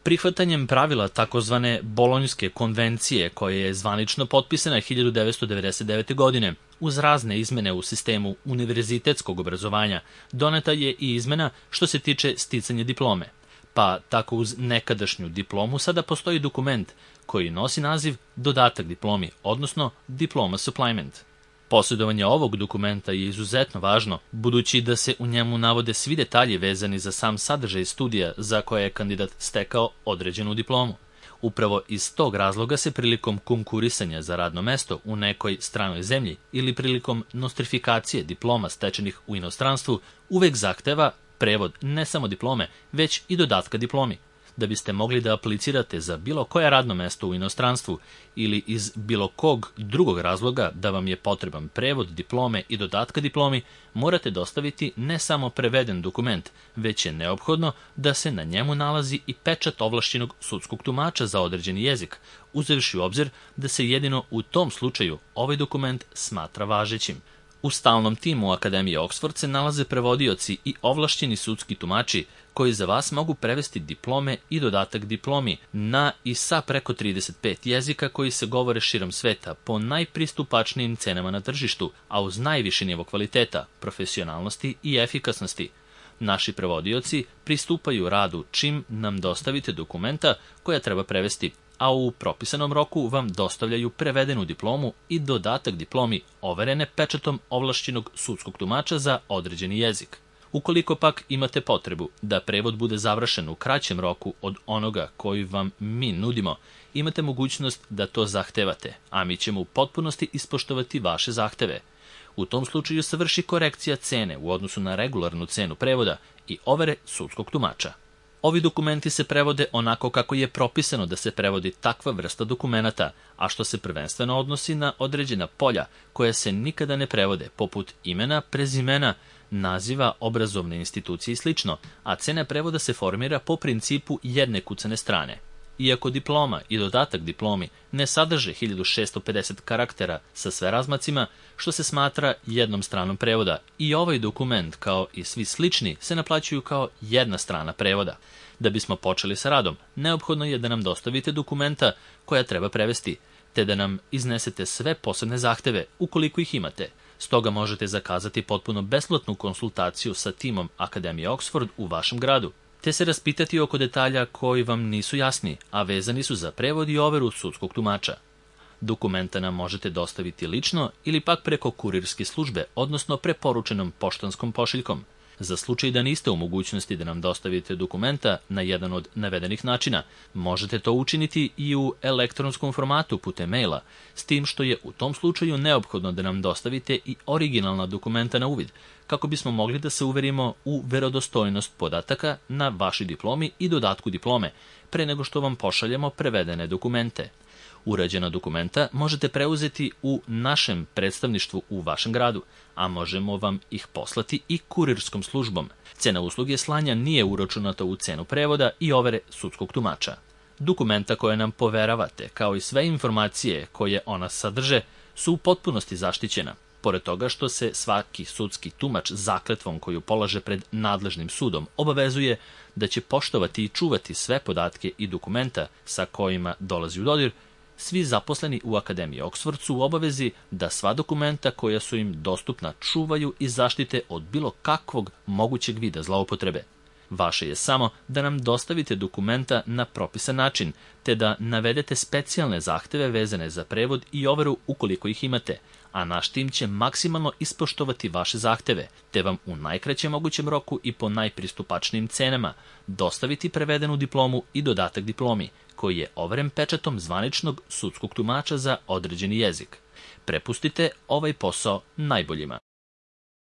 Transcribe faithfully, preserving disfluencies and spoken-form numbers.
Prihvatanjem pravila takozvane Bolonjske konvencije, koja je zvanično potpisana hiljadu devetsto devedeset devete. godine, uz razne izmene u sistemu univerzitetskog obrazovanja, doneta je i izmena što se tiče sticanja diplome. Pa tako uz nekadašnju diplomu sada postoji dokument koji nosi naziv dodatak diplomi, odnosno diploma supplement. Posjedovanje ovog dokumenta je izuzetno važno, budući da se u njemu navode svi detalji vezani za sam sadržaj studija za koje je kandidat stekao određenu diplomu. Upravo iz tog razloga se prilikom konkurisanja za radno mesto u nekoj stranoj zemlji ili prilikom nostrifikacije diploma stečenih u inostranstvu uvek zahteva prevod ne samo diplome, već i dodatka diplomi. Da biste mogli da aplicirate za bilo koje radno mesto u inostranstvu ili iz bilo kog drugog razloga da vam je potreban prevod diplome i dodatka diplomi, morate dostaviti ne samo preveden dokument, već je neophodno da se na njemu nalazi i pečat ovlašćenog sudskog tumača za određeni jezik, uzevši u obzir da se jedino u tom slučaju ovaj dokument smatra važećim. U stalnom timu Akademije Oxford se nalaze prevodioci i ovlašćeni sudski tumači koji za vas mogu prevesti diplome i dodatak diplomi na i sa preko trideset pet jezika koji se govore širom sveta po najpristupačnijim cenama na tržištu, a uz najviši nivo kvaliteta, profesionalnosti i efikasnosti. Naši prevodioci pristupaju radu čim nam dostavite dokumenta koja treba prevesti, a u propisanom roku vam dostavljaju prevedenu diplomu i dodatak diplomi overene pečatom ovlašćenog sudskog tumača za određeni jezik. Ukoliko pak imate potrebu da prevod bude završen u kraćem roku od onoga koji vam mi nudimo, imate mogućnost da to zahtevate, a mi ćemo u potpunosti ispoštovati vaše zahteve. U tom slučaju se vrši korekcija cene u odnosu na regularnu cenu prevoda i overe sudskog tumača. Ovi dokumenti se prevode onako kako je propisano da se prevodi takva vrsta dokumenata, a što se prvenstveno odnosi na određena polja koja se nikada ne prevode, poput imena, prezimena, naziva obrazovne institucije i sl., a cena prevoda se formira po principu jedne kucane strane. Iako diploma i dodatak diplomi ne sadrže hiljadu šessto pedeset karaktera sa sve razmacima, što se smatra jednom stranom prevoda, i ovaj dokument, kao i svi slični, se naplaćuju kao jedna strana prevoda. Da bismo počeli sa radom, neophodno je da nam dostavite dokumenta koja treba prevesti, te da nam iznesete sve posebne zahteve, ukoliko ih imate. Stoga možete zakazati potpuno besplatnu konsultaciju sa timom Akademije Oxford u vašem gradu, te se raspitati oko detalja koji vam nisu jasni, a vezani su za prevod i overu sudskog tumača. Dokumenta nam možete dostaviti lično ili pak preko kurirske službe, odnosno preporučenom poštanskom pošiljkom. Za slučaj da niste u mogućnosti da nam dostavite dokumenta na jedan od navedenih načina, možete to učiniti i u elektronskom formatu putem maila, s tim što je u tom slučaju neophodno da nam dostavite i originalna dokumenta na uvid, kako bismo mogli da se uverimo u verodostojnost podataka na vašoj diplomi i dodatku diplome, pre nego što vam pošaljemo prevedene dokumente. Urađena dokumenta možete preuzeti u našem predstavništvu u vašem gradu, a možemo vam ih poslati i kurirskom službom. Cena usluge slanja nije uračunata u cenu prevoda i overe sudskog tumača. Dokumenta koje nam poveravate, kao i sve informacije koje ona sadrže, su u potpunosti zaštićena. Pored toga što se svaki sudski tumač zakletvom koju polaže pred nadležnim sudom obavezuje da će poštovati i čuvati sve podatke i dokumenta sa kojima dolazi u dodir, svi zaposleni u Akademiji Oxford su u obavezi da sva dokumenta koja su im dostupna čuvaju i zaštite od bilo kakvog mogućeg vida zloupotrebe. Vaše je samo da nam dostavite dokumenta na propisan način, te da navedete specijalne zahteve vezane za prevod i overu ukoliko ih imate, a naš tim će maksimalno ispoštovati vaše zahteve, te vam u najkraćem mogućem roku i po najpristupačnijim cenama dostaviti prevedenu diplomu i dodatak diplomi, koji je overen pečatom zvaničnog sudskog tumača za određeni jezik. Prepustite ovaj posao najboljima.